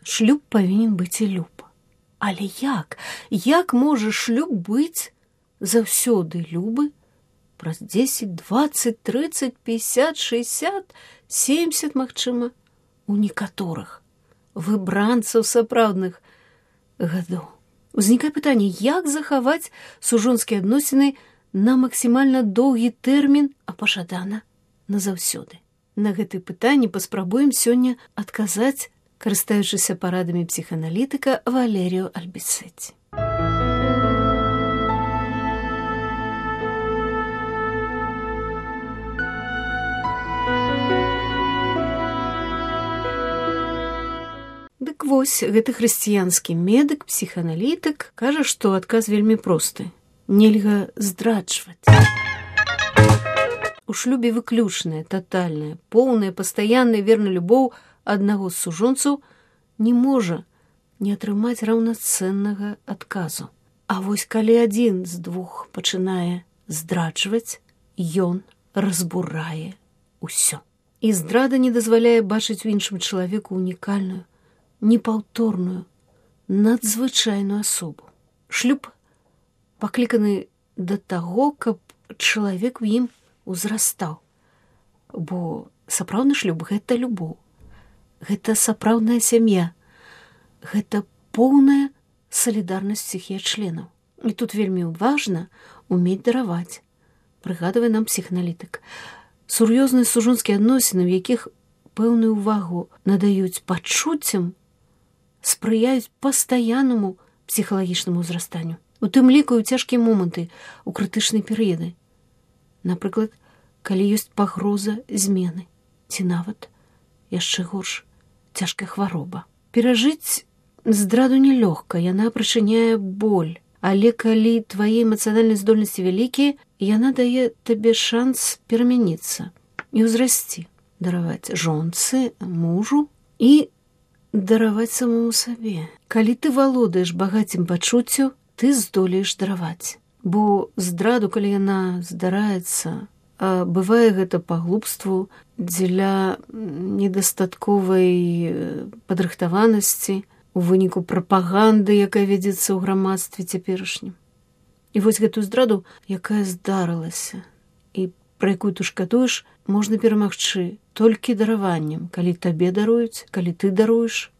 шлюб павінен быць і люб. Але як? Як можа шлюб быць заўсёды любы праз 10, 20, 30, 50, 60, 70, магчыма, у некаторых выбранцаў сапраўдных гадоў? Узнікае пытанне, як захаваць сужонскія адносіны на максімальна доўгі тэрмін, а пажадана назаўсёды? На гэтыя пытанні паспрабуем сёння адказаць, карыстаючыся парадамі псіхааналітыка Валеріо Альбіцэці. Дык вось, гэты хрысціянскі медык, псіхааналітык, кажа, што адказ вельмі просты. Нельга здраджваць. У шлюбе выключная, татальная, поўная, пастаянная верная любоў аднаго з сужонцаў не можа не атрымаць раўнацэннага адказу. А вось калі адзін з двух пачынае здраджваць, ён разбурае ўсё. І здрада не дазваляе бачыць у іншым чалавеку унікальную, непаўторную, надзвычайную асобу. Шлюб пакліканы да таго, каб чалавек у ім узрастаў. Бо сапраўдны шлюб – гэта любоў. Гэта сапраўдная сям'я. Гэта поўная салідарнасць усіх яе членаў. І тут вельмі важна умець дараваць. Прыгадвае нам псіхааналітык. Сур'ёзныя сужонскія адносіны, у якіх пэўную ўвагу надаюць пачуццям, спрыяюць пастаяннаму псіхалагічнаму ўзрастанню. У тым ліку і ў цяжкія моманты, у крытычныя перыяды. Напрыклад, калі ёсць пагроза змены, ці нават, яшчэ горш, цяжкая хвароба. Перажыць здраду нелёгка, яна прычыняе боль, але калі твае эмацыянальныя здольнасці вялікія, яна дае табе шанс перамяніцца і ўзрасці, дараваць жонцы, мужу і дараваць самому сабе. Калі ты валодаеш багаццем пачуццяў, ты здолееш дараваць. Бо здраду, калі яна здараецца, а бывае гэта па глупству, дзеля недастатковай падрыхтаванасці, у выніку прапаганды, якая вядзецца ў грамадстве цяперашнім. І вось гэтую здраду, якая здарылася, і пра якую ты шкадуеш, можна перамагчы толькі дараваннем, калі табе даруюць, калі ты даруеш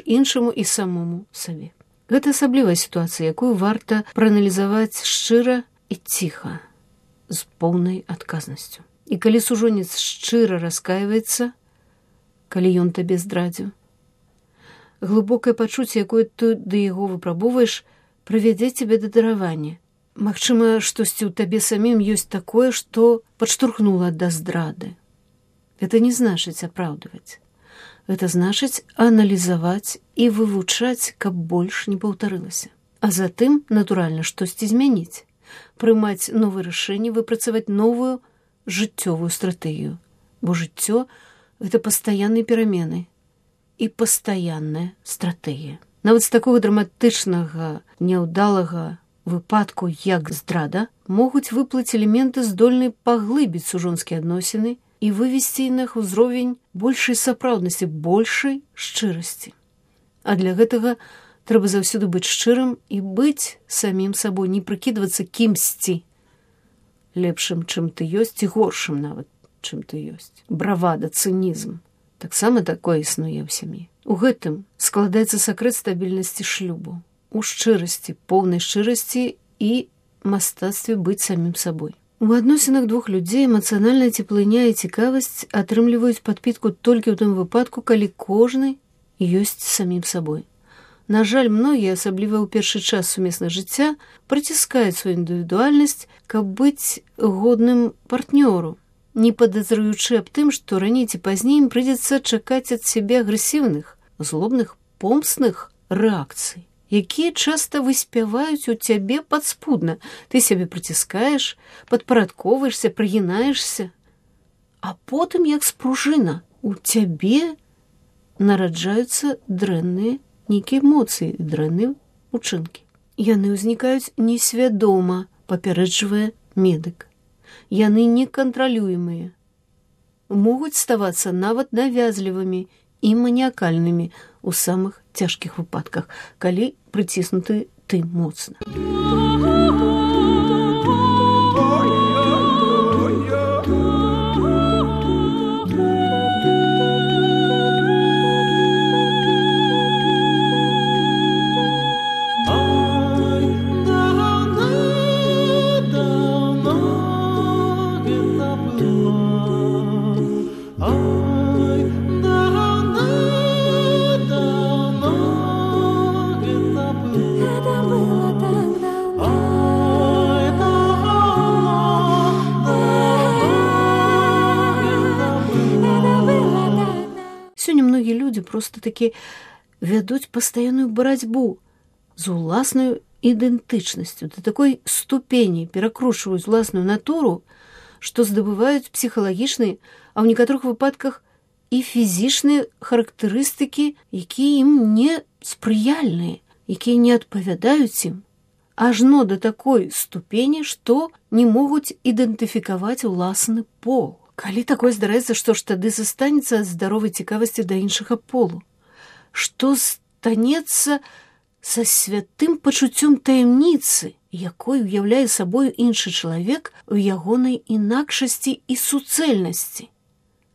іншаму і самому сабе. Гэта асаблівая сітуацыя, якую варта прааналізаваць шчыра і ціха, з поўнай адказнасцю. І калі сужонец шчыра раскайваецца, калі ён табе здрадзіў, глыбокае пачуцце, якое ты да яго выпрабоўваеш, прывядзе цябе да даравання. Магчыма, штосьці ў табе самім ёсць такое, што падштурхнула да здрады. Гэта не значыць апраўдваць. Гэта значыць аналізаваць і вывучаць, каб больш не паўтарылася. А затым, натуральна, штосьці змяніць, прымаць новыя рашэнні, выпрацаваць новую жыццёвую стратэгію. Бо жыццё – гэта пастаянныя перамены і пастаянная стратэгія. Нават з такога драматычнага, няўдалага выпадку, як здрада, могуць выплыць элементы, здольныя паглыбіць сужонскія адносіны і вывесці на іх узровень большай сапраўднасці, большай шчырасці. А для гэтага трэба заўсёды быць шчырым і быць самім сабой, не прыкідвацца кімсьці лепшым, чым ты ёсць, і горшым нават, чым ты ёсць. Бравада, цынізм. Таксама такое існуе ў сям'і. У гэтым складаецца сакрэт стабільнасці шлюбу. У шчырасці, поўнай шчырасці і мастацтве быць самім сабой. У адносінах двух людзей эмацыянальная цеплыня і цікавасць атрымліваюць падпітку толькі ў тым выпадку, калі кожны ёсць самім сабой. На жаль, многія, асабліва ў першы час сумеснага жыцця, прыціскаюць сваю індывідуальнасць, каб быць годным партнёру, не падазраючы аб тым, што раней ці пазней ім прыйдзецца чакаць ад сябе агрэсіўных, злобных, помстных рэакцый, якія часта выспяваюць у цябе падспудна. Ты сябе прыціскаеш, падпарадковаешся, прыгінаешся, а потым, як спружына, у цябе нараджаюцца дрэнныя нейкія эмоцыі, дрэнныя учынкі. Яны ўзнікаюць несвядома, папярэджвае медык. Яны некантралюемыя, могуць ставацца нават навязлівымі і маніякальнымі ў самых цяжкіх выпадках, калі прыціснуты ты моцна. Просто-таки вядуць пастаянную барацьбу з уласнаю ідэнтычнасцю, да такой ступені перакручваюць уласную натуру, што здабываюць псіхалагічныя, а ў некаторых выпадках і фізічныя характарыстыкі, якія ім не спрыяльныя, якія не адпавядаюць ім, ажно да такой ступені, што не могуць ідэнтыфікаваць уласны пол. Калі такое здараецца, што ж тады застанецца ад здаровай цікавасці да іншага полу? Што станецца са святым пачуццём таямніцы, якой уяўляе сабою іншы чалавек у ягонай інакшасці і суцэльнасці?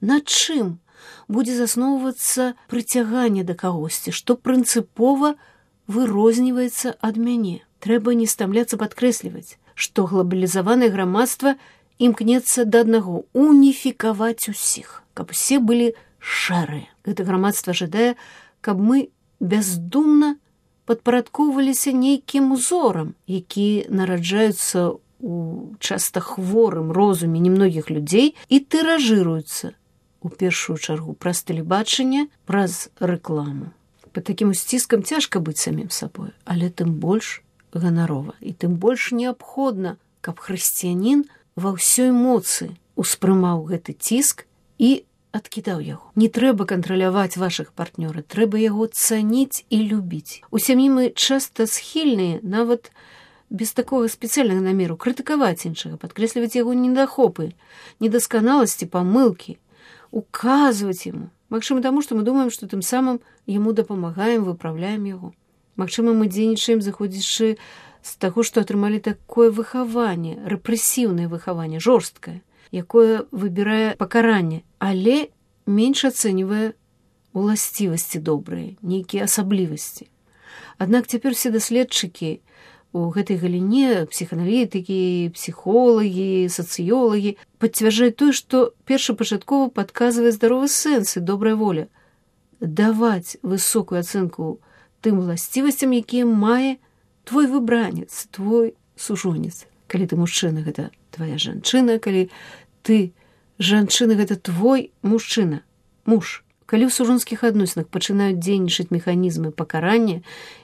На чым будзе засноўвацца прыцяганне да кагосьці, што прынцыпова вырозніваецца ад мяне? Трэба не стамляцца падкрэсліваць, што глобалізаванае грамадства імкнецца да аднаго – уніфікаваць усіх, каб усе былі шэрыя. Гэта грамадства жадае, каб мы бяздумна падпарадкоўваліся нейкім узорам, які нараджаюцца ў часта хворым розуме немногіх людзей і тыражыруюцца, у першую чаргу, праз тэлебачанне, праз рэкламу. Пад такім усціскам цяжка быць самім сабой, але тым больш ганарова і тым больш неабходна, каб хрысціянін ва ўсёй моцы успрымаў гэты ціск і адкідаў яго. Не трэба кантраляваць вашых партнёра, трэба яго цаніць і любіць. У сям'і мы часта схільныя, нават без такога спецыяльнага намеру, крытыкаваць іншага, падкрэсліваць яго недахопы, недасканаласці, памылкі, указваць яму. Магчыма, таму, што мы думаем, што тым самым яму дапамагаем, выпраўляем яго. Магчыма, мы дзейнічаем, заходзячы з таго, што атрымалі такое выхаванне, рэпрэсіўнае выхаванне, жорсткае, якое выбірае пакаранне, але менш ацэньвае уласцівасці добрыя, нейкія асаблівасці. Аднак цяпер все даследчыкі у гэтай галіне, псіханалітыкі, псіхолагі, сацыёлагі, пацвярджаюць тое, што першапачаткова падказвае здаровы сэнс і добрая воля. Даваць высокую ацэнку тым уласцівасцям, якія мае твой выбранец, твой сужонец. Калі ты мужчына, гэта твоя жанчына, калі ты жанчына, гэта твой мужчына, муж. Калі ў сужонскіх адносінах пачынаюць дзейнічаць механізмы пакарання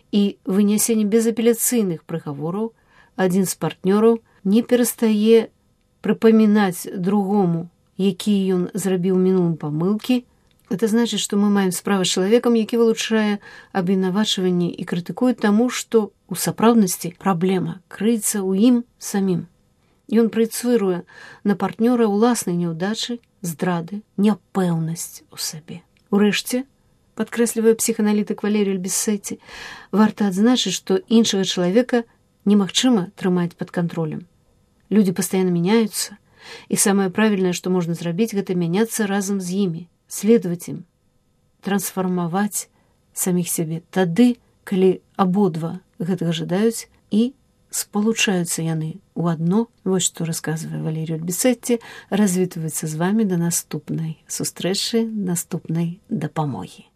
і вынясення безапеляцыйных прыгавораў, адзін з партнёраў не перастае прыпамінаць другому, якія ён зрабіў у мінулым памылкі. Это значыць, што мы маем справу з чалавекам, які вылучае абвінавачванні і крытыкуе таму, што у сапраўднасці праблема крыецца ў ім самім. Ён праецыруе на партнёра ўласнай няўдачы, здрады, няпэўнасць у сабе. Урэшце, падкрэслівае псіханалітык Валерій Альбісеці, варта адзначыць, што іншага чалавека немагчыма трымаць пад кантролем. Людзі пастаянна мяняюцца, і самае правільнае, што можна зрабіць, гэта мяняцца разам з імі, следаваць ім, трансфармаваць саміх сябе тады, калі абодва гэтага жадаюць і спалучаюцца яны ў адно. Вось што расказвае Валерій Альбісеці, развітваецца з вамі да наступнай сустрэчы, наступнай дапамогі.